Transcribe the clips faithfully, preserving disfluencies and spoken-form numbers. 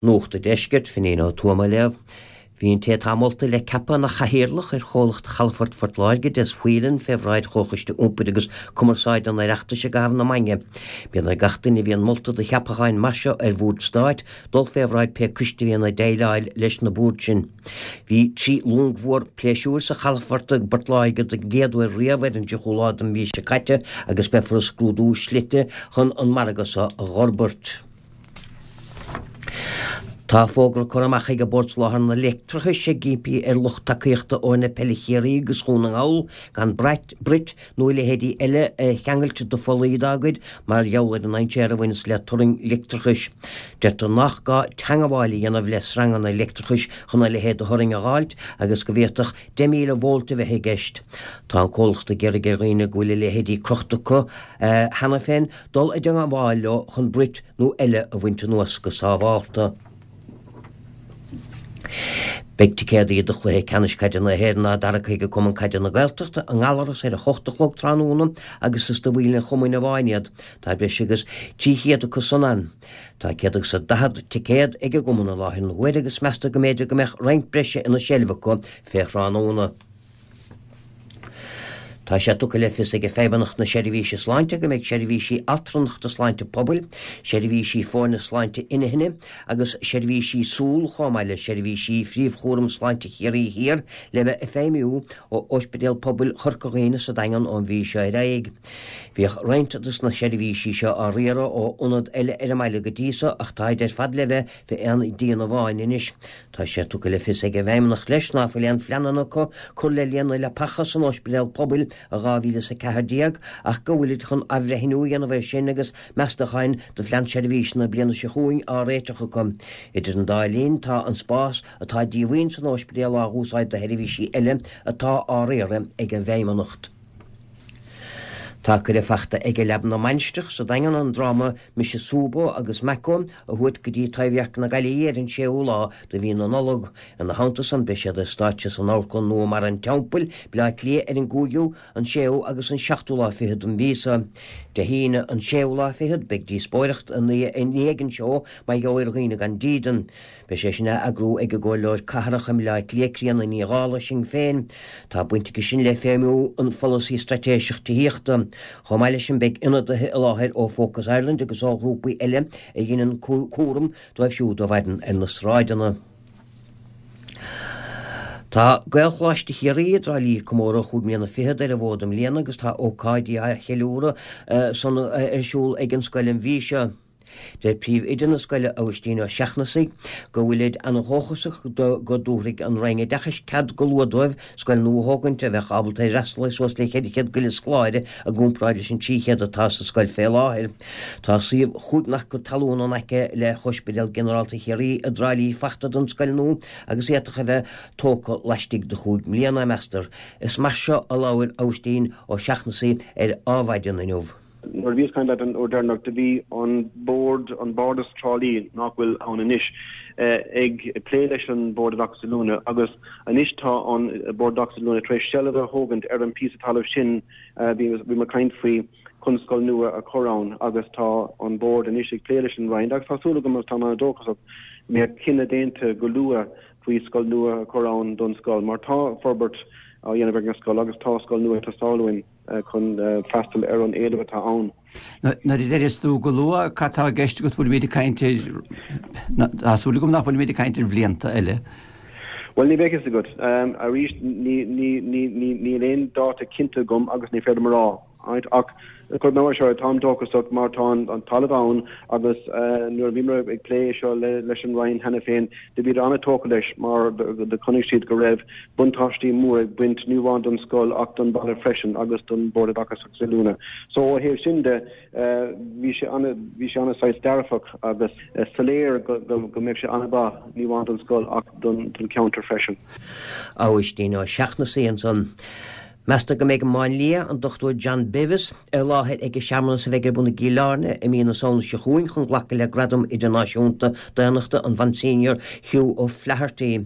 Nuacht an Deiscirt, Finín Ó Tuama á léamh. Bhí an té atá molta le ceapadh ina chathaoirleach ar chomhlacht Chalafort Phort Láirge, Des Whelan, fé bhráid Chomhchoiste Iompair agus Cumarsáide an Oireachtais i gcaitheamh na maidne. Bíonn ar gach duine a bhíonn molta do cheapacháin mar seo ar bhord stáit dul fé bhráid pé coiste a bhíonn ag déileáil leis na boird sin. Bhí trí long mhór pléisiúir sa chalafort i bPort Láirge don gcéad uair riamh ar an tríochú lá den mhí seo caite agus beifear ag scrúdú slite chun an margadh seo a dh'fhorbairt. Tá fógra curtha amach ag Bord Soláthair an Leictreachais ag impí ar lucht tacaíochta fhoirne peile Chiarraí agus Dhún na nGall gan brait, brait nó a leithéidí eile a cheangailt de phollaí dá gcuid mar gheall ar an ndainséar a bhaineas le turraing leictreachais. Deirtear nach gá teangabháil a dhéanamh le sreanganna leictreachais chun a leithéid de thurraing a dh'fháilt agus go bhféadfadh deich míle volt a bheith i gceist. Tá an comhlacht ag iarraidh ar dhaoine go bhfuil a leithéidí crochta acu cheana féin dul i dteangabháil leo chun brait nó eile a bhaint anuas go sábhálta. Beidh ticéadaí do chluiche ceannais caide na hÉireann á dtairgeadh ag Cumann Caide na Gaeltachta i nGallaras ar a hocht a chlog tráthnóna agus is do bhaill an chumainn amháin iad. Tá breis agus trí chéad acu san ann. Tá céad agus a daichead ticéad ag an gcumann i láthair na huaire agus meastar go mb'fhéidir go mbeadh roinnt breise ina seilbh acu fé thráthnóna. Tá sé tugtha le fios ag Feidhmeannacht na Seirbhíse Sláinte go mbeidh seirbhísí altranachta sláinte pobail, seirbhísí foirne sláinte intinne agus seirbhísí súl chomh maith le seirbhísí phríomhchúram sláinte Chiarraí Thiar le bheith ag feidhmiú ó Ospidéal Pobail Chorca Dhuibhne sa Daingean ón mhí seo ar aghaidh. Bhíodh roinnt dos na seirbhísí seo á riaradh ó ionad eile ar an mbaile go dtí so ach táid ar fad le bheith fé aon díon amháin anois. Tá sé tugtha le fios ag an bhFeidhmeannacht leis ná fuil aon phleananna acu cur le líon na leapacha san Ospidéal Pobail i dhá mhíle is a ceathair déag ach go bhfuilid chun athbhreithniú a dhéanamh air sin agus meastacháin do phlean seirbhíse na bliana seo chugainn á réiteach acu. Idir an dá linn tá an spás atá díomhaoin san ospidéal á úsáid do sheirbhísí eile atá á riaradh ag an bhFeidhmeannacht. Tá cuireadh fachta ag Leaba na Mainistreach sa Daingean an dráma Mise Súbó agus Maco a thabhairt go dtí Taibhdhearc na Gaillimhe ar an séú lá de mhí na Nollag. Ina theannta san beidh siad ar stáitse san amharclann nua Mar an Teampaill, Bleá Cliath ar an gcúigiú, an séú agus an seachtú lá fichead den mhí seo. Dé hAoine an séú lá fichead beidh díospóireacht i ndiaidh an seó mar gheall ar dhaoine gan dídean. Beidh sé sin á eagrú ag an gComhairleoir Cathrach i mBleá Cliath, Críona Ní Dhálaigh, Sinn Féin. Tá baint aige sin le feidhmiú an pholasaí straitéiseach tithíochta. Chomh maith leis sin beidh ionadaithe i láthair ó Focus Ireland agus ó ghrúpaí eile a dheineann cúram dóibh siúd a mhaireann ar na sráideanna. Tá Gaelcholáiste Chiarraí i dTrá Lí ag comóradh chúig mbliana fichead ar an bhfód i mbliana agus tá ócáidí á cheiliúradh san ar siúl ag an scoil an mhí seo. Deir príomhoide na scoile Aibhistín Ó Seachnasaigh go bhfuilid an-dhóchasach go dtabharfaidh an Roinn Oideachais cead go luath dóibh scoil nua a thógaint a bheadh ábalta ar fhreastal ar suas le ceithre chéad go leith scoláire i gcomparáid leis an trí chéad atá sa scoil fé láthair. Tá suíomh chúig n-acra talún in aice le hOspidéal Ginearálta Chiarraí i dTrá Lí fachta don scoil nua agus fhéadfadh a bheith tógtha laistigh de chúig mbliana, meastar. Is mar seo a labhair Aibhistín Ó Seachnasaigh ar Adhmhaidin inniu. Nuair a bhíos ag caint leat an uair deireanach do bhí an bord, an Bardas Trá Lí, nach bhfuil ann anois, ag plé leis an Bord Oideachais Oiliúna agus anois tá an Bord Oideachais Oiliúna tar éis seilbh a thógaint ar an píosa talaimh sin a bhí bhí muid ag caint faoi chun scoil nua a chur ann agus tá an Bord anois ag plé leis an Roinn agus tá súil agam agus táim an-dóchasach go mbeidh cinneadh déanta go luath faoi scoil nua a chur ann don scoil mar tá forbairt á dhéanamh ag an scoil agus tá scoil nua ag teastáil uainn. chun freastal ar an éileamh atá ann. Nuair a deireas tú go luath, cad tá i gceist agat? Bhfuilimid ag caint ar, tá súil agam nach bhfuilimid ag caint ar bhlianta eile. Bhuel, ní bheidh fhios agat. Arís, níl aon dáta cinnte agam agus ní féidir liom a rá. Ach cuirfidh mé mar seo, táim dóchasach mar tá an talamh ann agus nuair a bhíomar ag plé seo leis an Roinn cheana féin, do bhíodar an-tógtha leis mar do chonaic siad go raibh buntáistí mór ag baint ní amháin don scoil ach don bhaile freisin agus don Bhord Oideachais agus Oiliúna. So ó thaobh sin de bhí sé ana bhí sé ana saghas dearfach agus soiléir go go mbeadh sé an-mhaith ní amháin don scoil ach don don cheantar freisin. Aibhistín Ó Seachnasaigh ansan. Meastar go mbeidh an Máinlia, an Dochtúir John Bevis, i láthair ag an searmanas a bheidh ar bun i gCill Airne i mí na Samhna seo chugainn chun glacadh le Gradam Idirnáisiúnta Daonnachta an Mhonsenior Hugh O'Flaherty.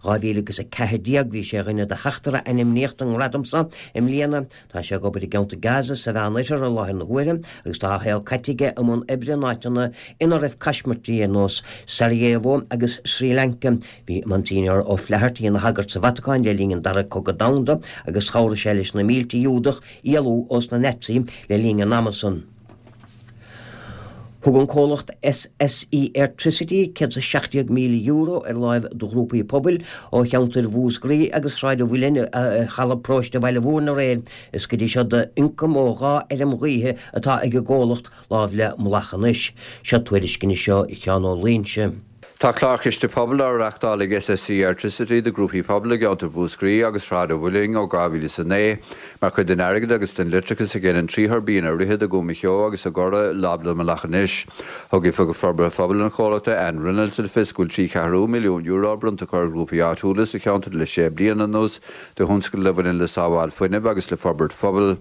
dhá mhíle agus a ceathair déag bhí sé ar dhuine de sheachtar a ainmníodh don ngradam seo i mbliana. Tá sé ag obair i gceantar Gaza sa Mheánoirthear i láthair na huaire agus tá a shaol caite aige i mbun oibre in áiteanna ina raibh caismirtí ar nós Sarajevo agus Sri Lanka. Bhí Monsignor O'Flaherty ina shagart sa Vatacáin le linn an Dara Cogadh Domhanda agus chabhraigh sé leis na mílte Giúdach éalú ós na Naitsithe le linn an ama san. Thug an comhlacht S S E Airtricity céad is a seacht déag míle euro ar láimh do ghrúpaí pobail ó cheantair Mhúscraí agus Shráid an Mhuilinn i Halla Paróiste Bhaile Mhúirne aréir. Is go dtí seo d'ioncam ó dhá fheirm ghaoithe atá ag an gcomhlacht láimh le Mullach anois. Seo tuairisc anois ó Sheán Ó Loingsigh. Tá clár Chiste Pobail á reáchtáil ag S S E Airtricity do ghrúpaí pobail i gceantar Mhúscraí agus Shráid an Mhuilinn ó dhá mhíle is a naoi, mar chuid den airgead agus den leictreachas a ghineann trí thuirbín i Droichead, i gCuan Cheo agus i gCora láimh le Mullach anois. Thug Oifigeach Forbartha Phobail an chomhlachta, Anne Reynolds, le fios go bhfuil trí cheathrú milliún euro bronnta acu ar ghrúpaí áitiúla sa cheantar le sé bliana anuas do thionscadail a bhaineann le sábháil fuinnimh agus le forbairt phobail.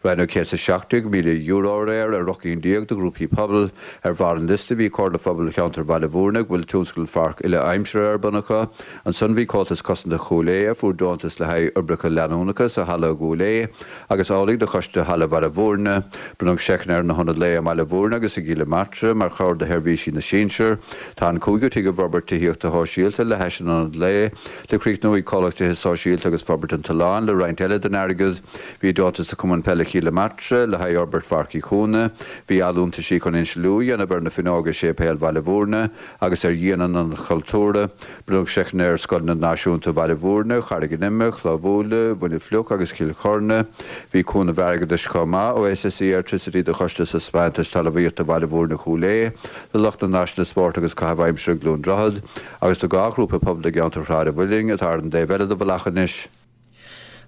Roinneadh céad is a seacht déag míle euro aréir ar ocht gcinn déag de ghrúpaí pobail. Ar bharr an liosta bhí Comhairle Phobail Cheantar Bhaile Mhúirne, go bhfuil tionscadal pháirc uile-aimsire ar bun acu. Ansan bhí Comhaltas Cosanta Chúil Aodha a fuair deontas le haghaidh oibreacha leanúnacha sa halla i gCúil Aodha agus amhlaidh do Choiste Halla Bhaile Mhúirne. Bronnadh seiceanna ar na hionaid lae i mBaile Mhúirne agus i gCill na Martra mar chabhair do sheirbhísí na sinsear. Tá an cúigiú tigh i bhforbairt tithíochta shóisialta le hais an ionad lae le críochnú ag Comhlacht Tithe Sóisialta agus Forbairt an tOileáin le roinnt eile den airgead. Bhí deontas do Chumann Peile Chill na Martra le haghaidh fhorbairt Pháirc Uí Chúna. Bhí allúntaisí chun insliú a dhéanamh ar na fuinneoga i Séipéal Bhaile Mhúirne agus ar dhíon an Ionaid Chultúrtha. Bronnadh seiceanna ar Scoileanna Náisiúnta Bhaile Mhúirne, Charraig an Ime, Cloich Bhuaile, Mhuine Fliuch agus Cill Chorna. Bhí cúnamh airgeadais chomh maith ó S S E Airtricity do Choiste Taispeántais Talmhaíochta Bhaile Mhúirne Chúil Aodha, do lucht na n-áiseanna spóirt agus caitheamh aimsire i gCluain Droichead, agus do dhá ghrúpa pobail i gceantar Shráid an Mhuilinn atá ar an dtaobh eile de Mhullach anois.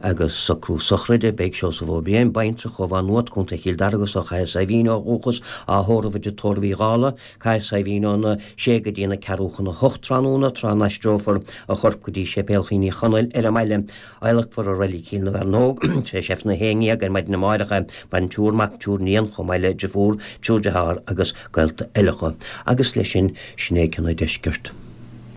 Agus socrú sochraide, beidh Seosamh Ó Briain, baintreach ó Mhaigh Nuad, Contae Chill Dara agus ó Chathair Saidhbhín ó dhúchas, á thórramh i dTigh Tórraimh Uí Dhálaigh, Cathair Saidhbhín óna sé go dtí na ceathrú chun a hocht tráthnóna, tráth a n-aistreofar a chorp go dtí Séipéal Chill Uí Chonaill ar an mbaile. Adhlacfar i Reilig Chill na bhFearnóg tar éis Aifreann a haon déag ar maidin amárach. Maireann triúr mac, triúr iníon, chomh maith le deirfiúr, triúr dearthár agus gaolta eile. Agus leis sin, sin é Ceann an Deiscirt.